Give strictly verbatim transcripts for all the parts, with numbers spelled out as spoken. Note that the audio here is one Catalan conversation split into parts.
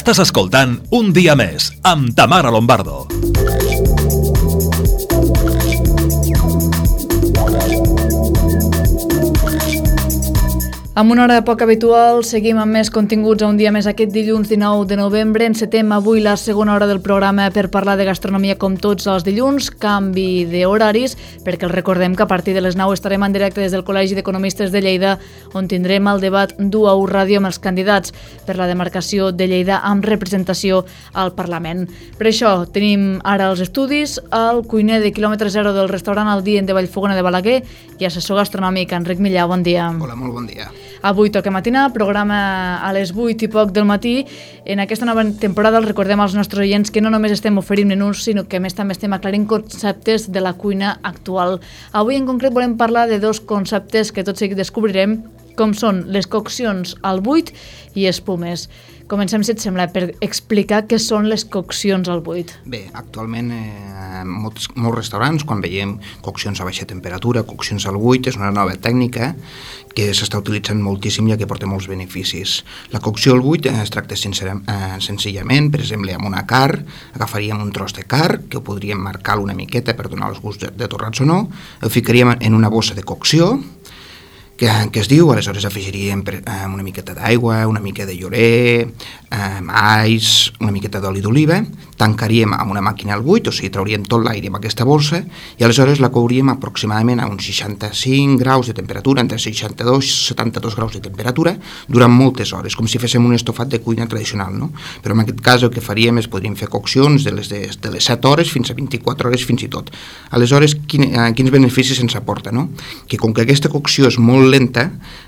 Estàs escoltant Un dia més amb Tamara Lombardo. Amb una hora poc habitual, seguim amb més continguts a Un dia més aquest dilluns dinou de novembre. Encetem avui la segona hora del programa per parlar de gastronomia com tots els dilluns, canvi d'horaris, perquè els recordem que a partir de les nou estarem en directe des del Col·legi d'Economistes de Lleida, on tindrem el debat d'u a u Ràdio amb els candidats per la demarcació de Lleida amb representació al Parlament. Per això tenim ara els estudis el cuiner de quilòmetre zero del restaurant El Dient de Vallfogona de Balaguer i assessor gastronòmic Enric Millà. Bon dia. Hola, molt bon dia. Avui toca matinar, programa a les vuit i poc del matí. En aquesta nova temporada els recordem als nostres oients que no només estem oferint menús, sinó que a més també estem aclarint conceptes de la cuina actual. Avui en concret volem parlar de dos conceptes que tot seguit descobrirem, com són les coccions al buit i espumes. Comencem, si et sembla, per explicar què són les coccions al buit. Bé, actualment eh, molts, molts restaurants, quan veiem coccions a baixa temperatura, coccions al buit, és una nova tècnica que s'està utilitzant moltíssim i que porta molts beneficis. La cocció al buit es tracta sincer, eh, senzillament, per exemple, amb una carn, agafaríem un tros de carn, que ho podríem marcar una miqueta per donar els gusts de, de torrats o no, el ficaríem en una bossa de cocció, que, que es diu, aleshores afegiríem per, eh, una miqueta d'aigua, una mica de llorer, eh, alls, una miqueta d'oli d'oliva, tancaríem amb una màquina al buit, o sigui, trauríem tot l'aire amb aquesta bolsa i aleshores la couríem aproximadament a uns seixanta-cinc graus de temperatura, entre seixanta-dos i setanta-dos graus de temperatura, durant moltes hores, com si féssim un estofat de cuina tradicional, no? Però en aquest cas el que faríem és podríem fer coccions de les, de, de les set hores fins a vint-i-quatre hores fins i tot. Aleshores, quin, eh, quins beneficis ens aporta, no? Que com que aquesta cocció és molt lenta,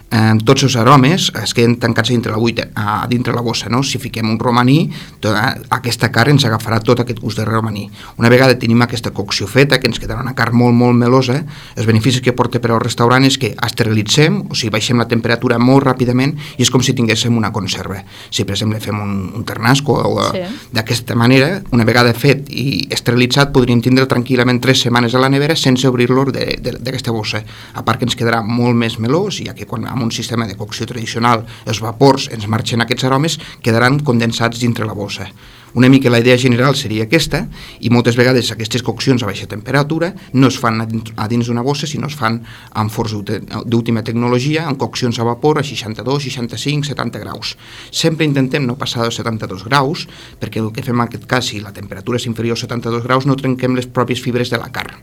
eh, tots els aromes es queden tancats dintre la buita, a dintre la bossa, no? Si fiquem un romaní, tota, aquesta carn ens agafarà tot aquest gust de romaní. Una vegada tenim aquesta cocció feta, que ens quedarà una carn molt, molt melosa, els beneficis que porta per al restaurant és que esterilitzem, o sigui, baixem la temperatura molt ràpidament i és com si tinguéssim una conserva. Si, per exemple, fem un, un ternasco o sí. D'aquesta manera, una vegada fet i esterilitzat, podríem tindre tranquil·lament tres setmanes a la nevera sense obrir-lo d'aquesta bossa. A part que ens quedarà molt més melós, ja que quan amb un sistema de cocció tradicional els vapors ens marxen aquests aromes, quedaran condensats dintre la bossa. Una mica la idea general seria aquesta, i moltes vegades aquestes coccions a baixa temperatura no es fan a dins, a dins d'una bossa, sinó es fan amb forns d'última tecnologia, amb coccions a vapor a seixanta-dos, seixanta-cinc, setanta graus. Sempre intentem no passar dels setanta-dos graus, perquè el que fem en aquest cas, si la temperatura és inferior a setanta-dos graus, no trenquem les pròpies fibres de la carn.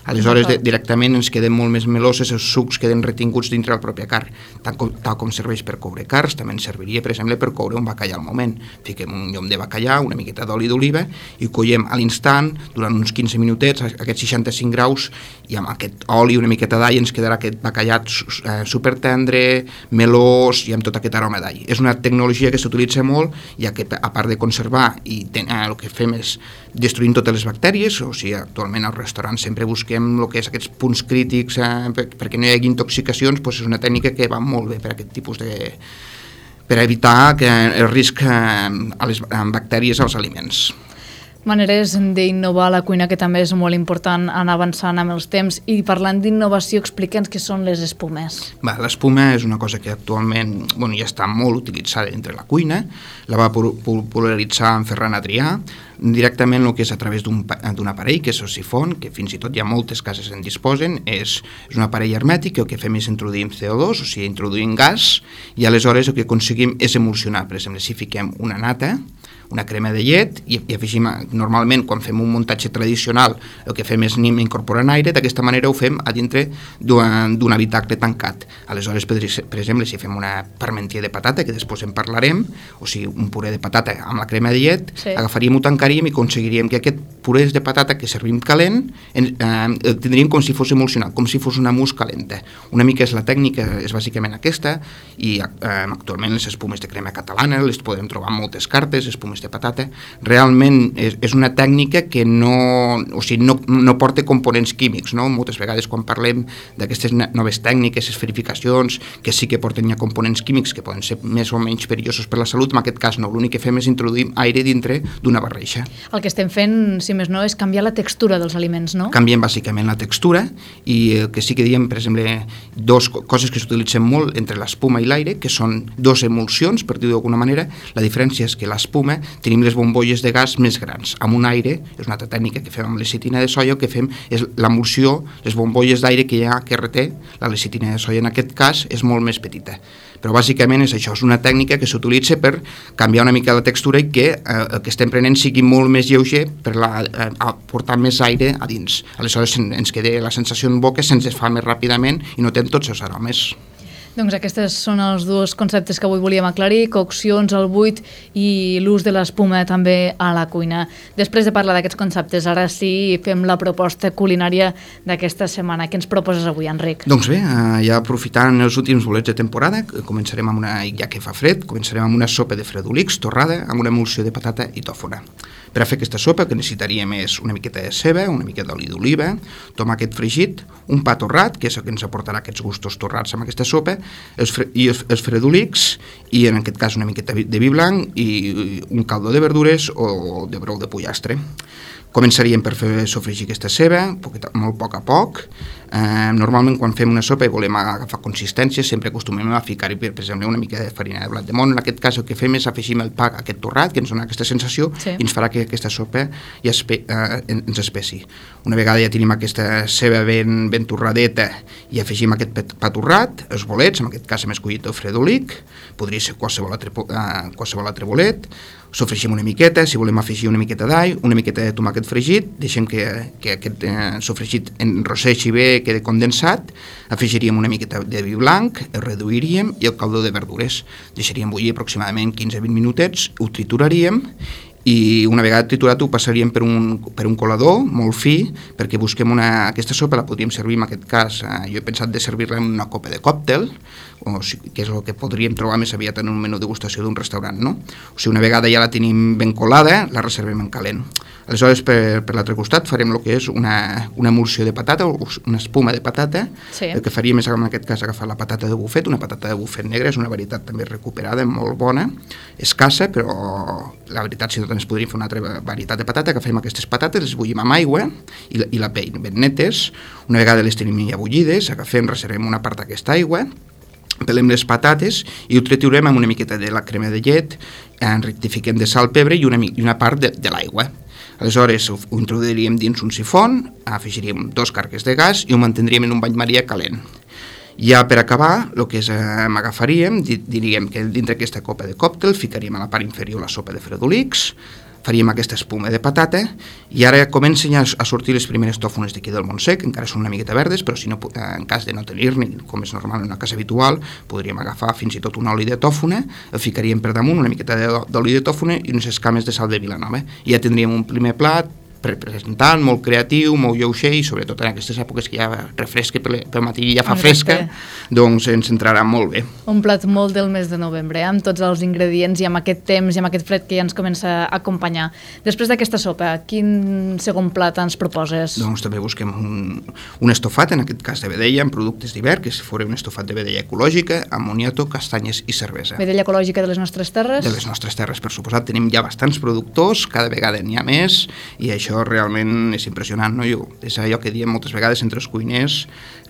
Aleshores, de, directament ens queden molt més meloses, els sucs queden retinguts dintre la pròpia carn. Tal com, tal com serveix per coure carns, també ens serviria, per exemple, per coure un bacallà al moment. Fiquem un llom de bacallà, una miqueta d'oli d'oliva, i collem a l'instant, durant uns quinze minutets, aquests seixanta-cinc graus, i amb aquest oli, una miqueta d'all, ens quedarà aquest bacallà eh, supertendre, melós, i amb tot aquest aroma d'all. És una tecnologia que s'utilitza molt, ja que a part de conservar, i ten, eh, el que fem és destruint totes les bactèries, o sigui, actualment al restaurant sempre busquem el que és aquests punts crítics eh, per, perquè no hi hagi intoxicacions, doncs és una tècnica que va molt bé per aquest tipus de... per evitar que el risc eh, a les bactèries als aliments. Maneres d'innovar la cuina que també és molt important anar avançant amb els temps, i parlant d'innovació, explica'ns què són les espumes. Va, l'espuma és una cosa que actualment bueno, ja està molt utilitzada entre la cuina, la va popularitzar en Ferran Adrià, directament el que és a través d'un aparell, que és el sifon, que fins i tot hi ha moltes cases en disposen, és, és un aparell hermètic que el que fem és introduir C O dos, o sigui, introduïm gas, i aleshores el que aconseguim és emulsionar. Per exemple, si fiquem una nata, una crema de llet, i, i afegim, normalment quan fem un muntatge tradicional el que fem és anem incorporant aire, d'aquesta manera ho fem a dintre d'un habitacle tancat. Aleshores, per, per exemple, si fem una parmentier de patata, que després en parlarem, o sigui, un puré de patata amb la crema de llet, sí. Agafaríem, ho tancaríem i aconseguiríem que aquest puré de patata que servim calent en, eh, el tindríem com si fos emulsionat, com si fos una mousse calenta. Una mica és la tècnica, és bàsicament aquesta, i eh, actualment les espumes de crema catalana les podem trobar en moltes cartes, espumes de patata, realment és, és una tècnica que no, o sigui, no, no porta components químics, no? Moltes vegades quan parlem d'aquestes noves tècniques, esferificacions, que sí que porten ja components químics que poden ser més o menys perillosos per la salut, en aquest cas no, l'únic que fem és introduir aire dintre d'una barreja. El que estem fent, si més no, és canviar la textura dels aliments, no? Canviem bàsicament la textura i el que sí que diem, per exemple, dos coses que s'utilitzen molt entre l'espuma i l'aire, que són dos emulsions, per dir-ho d'alguna manera. La diferència és que l'espuma tenim les bombolles de gas més grans. Amb un aire, és una altra tècnica que fem amb lecitina de soia, el que fem és l'emulsió, les bombolles d'aire que hi ha que reté, la lecitina de soia en aquest cas és molt més petita. Però bàsicament és això, és una tècnica que s'utilitza per canviar una mica la textura i que eh, el que estem prenent sigui molt més lleuger per la, eh, aportar més aire a dins. Aleshores ens queda la sensació en boca, se'ns fa més ràpidament i notem tots els aromes. Doncs aquests són els dos conceptes que avui volíem aclarir, coccions al buit i l'ús de l'espuma també a la cuina. Després de parlar d'aquests conceptes, ara sí fem la proposta culinària d'aquesta setmana. Què ens proposes avui, Enric? Doncs bé, ja aprofitant els últims bolets de temporada, començarem amb una, ja que fa fred, començarem amb una sopa de fredolics torrada amb una emulsió de patata i tòfona. Per a fer aquesta sopa el que necessitaríem és una miqueta de ceba, una miqueta d'oli d'oliva, tomàquet fregit, un pa torrat, que és el que ens aportarà aquests gustos torrats amb aquesta sopa, els, fre i els, els fredolics, i en aquest cas una miqueta de vi blanc i un caldo de verdures o de brou de pollastre. Començaríem per fer sofregir aquesta ceba, molt a poc a poc. Eh, normalment quan fem una sopa i volem agafar consistència sempre acostumem a ficar-hi, per exemple, una mica de farina de blat de moro. En aquest cas el que fem és afegir el pa aquest torrat, que ens dona aquesta sensació, sí, i ens farà que aquesta sopa ja espe eh, ens espessi. Una vegada ja tenim aquesta ceba ben, ben torradeta i afegim aquest pa torrat, els bolets, en aquest cas hem escollit el fredolic, podria ser qualsevol altre, eh, qualsevol altre bolet. Sofregim una miqueta, si volem afegir una miqueta d'all, una miqueta de tomàquet fregit, deixem que, que aquest eh, sofregit enrosseixi bé, quedi condensat, afegiríem una miqueta de vi blanc, el reduiríem i el caldo de verdures. Deixaríem bullir aproximadament quinze a vint minutets, ho trituraríem i una vegada triturat ho passaríem per un, per un colador molt fi perquè busquem una... Aquesta sopa la podríem servir en aquest cas, eh, jo he pensat de servir-la en una copa de còctel, o sigui, que és el que podríem trobar més aviat en un menú de degustació d'un restaurant, no? O sigui, una vegada ja la tenim ben colada, la reservem en calent. Aleshores, per, per l'altre costat farem el que és una, una emulsió de patata, o una espuma de patata. Sí. El que faríem és, en aquest cas, agafar la patata de bufet, una patata de bufet negra, és una varietat també recuperada, molt bona, escassa, però la veritat, si no ens podríem fer una altra varietat de patata, agafem aquestes patates, les bullim amb aigua i la, i la pell ben netes. Una vegada les tenim ja bullides, agafem, reservem una part d'aquesta aigua, pelem les patates i ho triturem amb una miqueta de la crema de llet, en rectifiquem de sal, pebre i una, i una part de, de l'aigua. Aleshores ho, ho introduiríem dins un sifon, afegiríem dos carques de gas i ho mantindríem en un bany maria calent. Ja per acabar, el que és, eh, agafaríem, diríem que dintre aquesta copa de còctel ficaríem a la part inferior la sopa de fredolics, faríem aquesta espuma de patata i ara comencen a sortir les primeres tòfones d'aquí del Montsec, encara són una miqueta verdes, però si no, en cas de no tenir-ne, com és normal en una casa habitual, podríem agafar fins i tot un oli de tòfona, el ficaríem per damunt, una miqueta d'oli de tòfona i unes escames de sal de Vilanova. I ja tindríem un primer plat presentant, molt creatiu, molt lleuger i sobretot en aquestes èpoques que ja refresca pel matí i ja fa fresca, doncs ens entrarà molt bé. Un plat molt del mes de novembre, amb tots els ingredients i amb aquest temps i amb aquest fred que ja ens comença a acompanyar. Després d'aquesta sopa, quin segon plat ens proposes? Doncs també busquem un, un estofat, en aquest cas de vedella, amb productes d'hivern, que fora un estofat de vedella ecològica, amb moniato, castanyes i cervesa. Vedella ecològica de les nostres terres? De les nostres terres, per suposat. Tenim ja bastants productors, cada vegada n'hi ha més, i això Això realment és impressionant, no? Jo, és allò que diem moltes vegades entre els cuiners,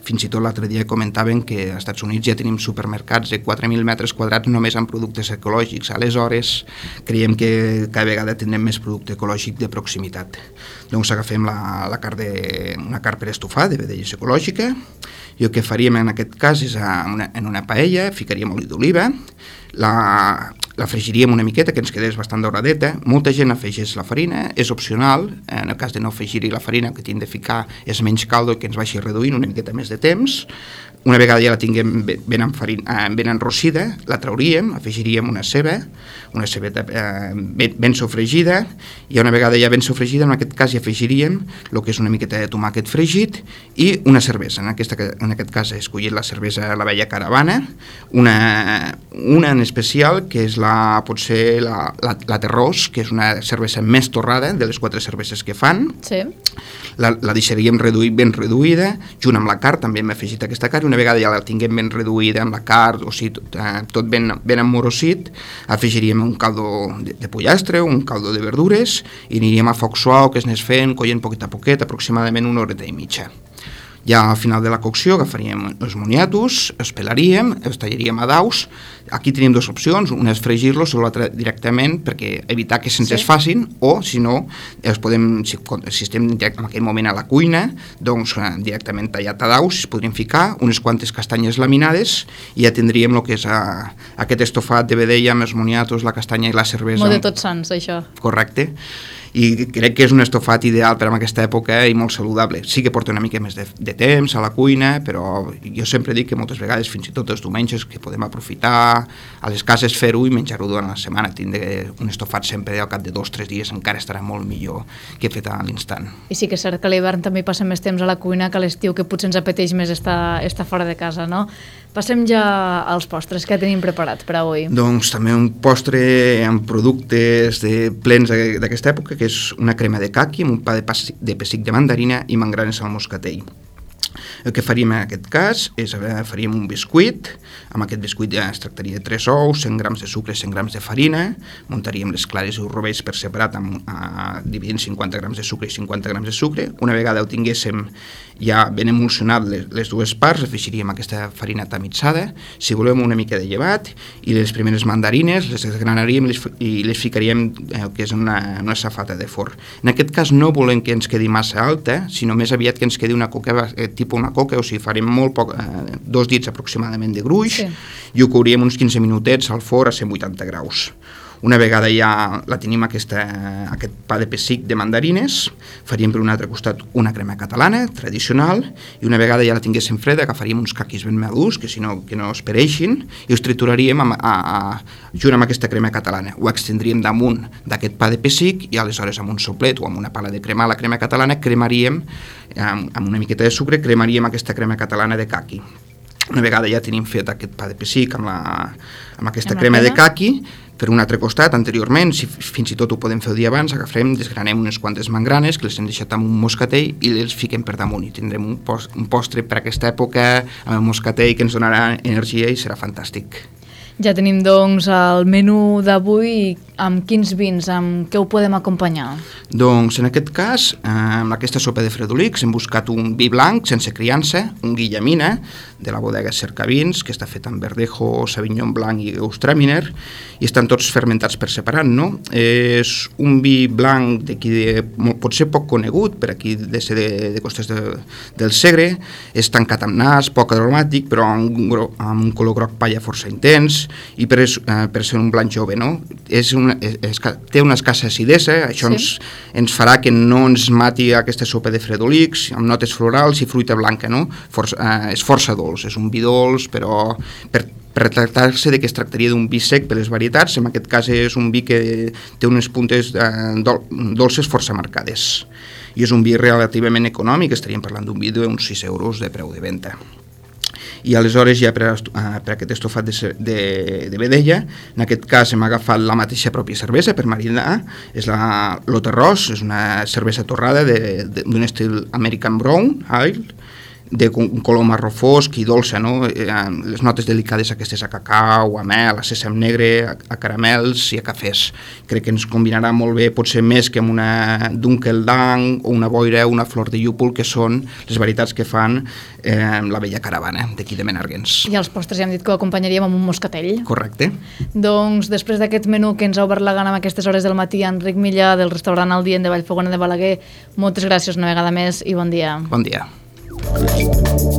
fins i tot l'altre dia comentaven que als Estats Units ja tenim supermercats de quatre mil metres quadrats només amb productes ecològics. Aleshores, creiem que cada vegada tindrem més producte ecològic de proximitat. Doncs agafem la, la carn de, una carn per estofar de vedella ecològica i el que faríem en aquest cas és a una, en una paella, ficaríem oli d'oliva, la, la fregiríem una miqueta, que ens quedés bastant dauradeta. Molta gent afegeix la farina, és opcional, en el cas de no afegir-hi la farina, que tinc de ficar és menys caldo i que ens vagi reduint una miqueta més de temps. Una vegada ja la tinguem ben, enfarina, ben enrossida, la trauríem, afegiríem una ceba, una cebeta eh, ben, ben sofregida, i una vegada ja ben sofregida, en aquest cas hi afegiríem el que és una miqueta de tomàquet fregit i una cervesa. En, aquesta, en aquest cas he escollit la cervesa La Vella Caravana, una, una en especial que és la, potser la, la, la Terrós, que és una cervesa més torrada de les quatre cerveses que fan. Sí. La, la deixaríem reduir, ben reduïda, junt amb la carn també hem afegit aquesta carn, i una vegada ja la tinguem ben reduïda amb la carn, o sigui, tot, eh, tot ben, ben emmorosit, afegiríem un caldo de, de pollastre, un caldo de verdures, i aniríem a foc suau, que es anés fent, coient poquet a poquet, aproximadament una horeta i mitja. Ja al final de la cocció agafaríem els moniatos, els pelaríem, els tallaríem a daus. Aquí tenim dues opcions, una és fregir-los o l'altra directament, perquè evitar que se'ns sí. es facin, o si no, els podem, si, si estem en aquell moment a la cuina, doncs directament tallat a daus, es podrien ficar unes quantes castanyes laminades i ja tindríem el que és a, aquest estofat de vedella amb els moniatos, la castanya i la cervesa. Molt de Tots Sants, això. Correcte. I crec que és un estofat ideal per a aquesta època i molt saludable. Sí que porta una mica més de, de temps a la cuina, però jo sempre dic que moltes vegades, fins i tot els diumenges, que podem aprofitar a les cases fer-ho i menjar-ho durant la setmana. Tindre un estofat sempre al cap de dos o tres dies encara estarà molt millor que fet a l'instant. I sí que és cert que a l'hivern també passem més temps a la cuina que a l'estiu, que potser ens apeteix més estar, estar fora de casa, no? Passem ja als postres. Què tenim preparat per avui? Doncs també un postre amb productes de, plens d'aquesta època, que és una crema de caqui amb un pa de, pessic, de pessic de mandarina i mangranes al moscatell. El que faríem en aquest cas és faríem un biscuit. Amb aquest biscuit ja es tractaria de tres ous, cent grams de sucre, cent grams de farina, muntaríem les clares i els rovells per separat, amb, a, dividint cinquanta grams de sucre i cinquanta grams de sucre. Una vegada ho tinguéssim ja ben emulsionat les, les dues parts, afegiríem aquesta farina tamitzada, si volem una mica de llevat, i les primeres mandarines les desgranaríem i les, i les ficaríem el que és una, una safata de forn. En aquest cas no volem que ens quedi massa alta, sinó més aviat que ens quedi una coca, eh, tipus una coca, o sigui, farem molt poc, eh, dos dits aproximadament de gruix, sí. I ho couríem uns quinze minutets al forn a cent vuitanta graus. Una vegada ja la tenim aquesta, aquest pa de pessic de mandarines, faríem per un altre costat una crema catalana, tradicional, i una vegada ja la tinguéssim freda, agafaríem uns caquis ben madurs, que si no, que no es pereixin, i els trituraríem amb, a, a, junt amb aquesta crema catalana. Ho extendríem damunt d'aquest pa de pessic i aleshores amb un soplet o amb una pala de cremar la crema catalana cremaríem, amb, amb una miqueta de sucre, cremaríem aquesta crema catalana de caqui. Una vegada ja tenim fet aquest pa de pessic amb, la, amb aquesta amb crema de caqui, per un altre costat, anteriorment, si fins i tot ho podem fer el dia abans, agafem, desgranem unes quantes mangranes que les hem deixat amb un moscatell i les fiquem per damunt i tindrem un, post, un postre per aquesta època amb el moscatell que ens donarà energia i serà fantàstic. Ja tenim, doncs, el menú d'avui. Amb quins vins, amb què ho podem acompanyar? Doncs, en aquest cas, amb aquesta sopa de fredolics hem buscat un vi blanc sense criança, un Guillemina, de la bodega Cercavins, que està fet amb verdejo, sauvignon blanc i Gewürztraminer, i estan tots fermentats per separat, no? És un vi blanc d'aquí, de, pot ser poc conegut, per aquí de ser de, de costes de, del Segre, és tancat amb nas, poc aromàtic, però amb un, amb un color groc palla força intens, i per, eh, per ser un blanc jove, no? És una, és, és, té una escassa acidesa, això sí. ens, ens farà que no ens mati aquesta sopa de fredolics, amb notes florals i fruita blanca, no? Força, eh, és força dolç, és un vi dolç, però per, per tractar-se de que es tractaria d'un vi sec per les varietats, en aquest cas és un vi que té unes puntes eh, dol, dolces força marcades. I és un vi relativament econòmic, estaríem parlant d'un vi d'uns sis euros de preu de venda. I aleshores ja per, per aquest estofat de, de, de vedella, en aquest cas hem agafat la mateixa pròpia cervesa per marinar, és la Loterros, és una cervesa torrada d'un estil American Brown Ale, de un color marró fosc i dolça, no? Les notes delicades aquestes a cacau, a mel, a sèsam negre, a, a caramels i a cafès. Crec que ens combinarà molt bé, potser més que amb una Dunkellang o una boira o una flor de llúpol, que són les varietats que fan eh, la vella caravana d'aquí de Menàrguens. I els postres ja hem dit que ho acompanyaríem amb un moscatell. Correcte. Doncs després d'aquest menú que ens ha obert la gana en aquestes hores del matí, Enric Millà, del restaurant El Dient de Vallfogona de Balaguer, moltes gràcies una vegada més i bon dia. Bon dia. Thank you.